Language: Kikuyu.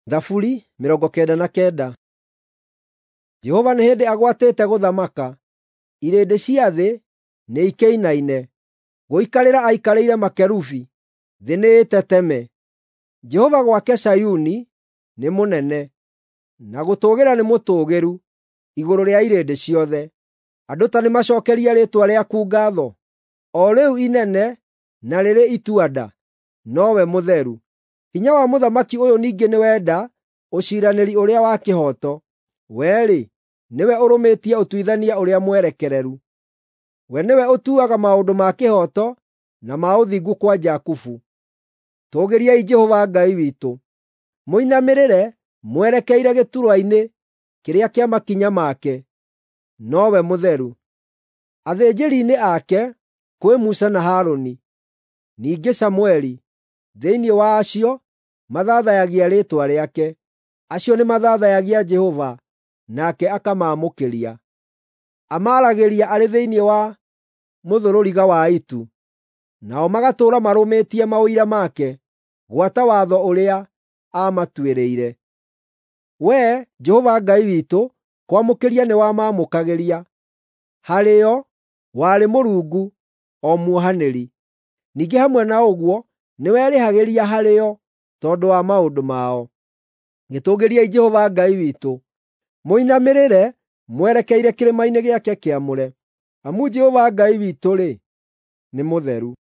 Thaburi 99. Jehova nĩ hĩndĩ agwatĩte gũthamaka, irĩndĩ cia thĩ nĩikĩinaine. Gũikarĩra aikarĩire makerubi, thĩ nĩĩteteme. Jehova gwake Zayuni nĩ mũnene, na gũtũũgĩra nĩ mũtũũgĩru igũrũ rĩa irĩndĩ ciothe. Andũ ta nĩmacookerie rĩĩtwa rĩaku ngaatho, o rĩu inene na rĩrĩ itua-nda, nowe mũtheru. Hinya wa mũthamaki ũyũ ningĩ nĩwenda ũciiranĩri ũrĩa wa kĩhooto. We-rĩ, nĩwe ũrũmĩtie ũtuithania ũrĩa mwerekereru. We nĩwe ũtuaga maũndũ ma kĩhooto na ma ũthingu kwa Jakubu. Tũũgĩriai Jehova Ngai witũ, mũinamĩrĩre mwerekeire gĩturwa-inĩ kĩrĩa kĩa makinya make, nowe mũtheru. Athĩnjĩri-inĩ ake kwĩ Musa na Harũni, ningĩ Samũeli, thĩinĩ wa acio mathathayagia rĩĩtwa rĩake. Acio nĩmathathayagia Jehova, nake akamaamũkĩria. Amaaragĩria arĩ thĩinĩ wa mũthũrũriga wa itu, nao magatũũra marũmĩtie maũira make, gwata watho ũrĩa aamatuĩrĩire. Wee, Jehova Ngai witũ, kwamũkĩria nĩwamamũkagĩria. Harĩo warĩ Mũrungu, o muohanĩri. Ningĩ hamwe na ũguo nĩwerĩhagĩria harĩo tondũ wa maũndũ mao. Gĩtũũgĩriei Jehova Ngai witũ, mũinamĩrĩre mwerekeire kĩrĩma-inĩ gĩake kĩamũre, amu Jehova Ngai witũ-rĩ, nĩ mũtheru.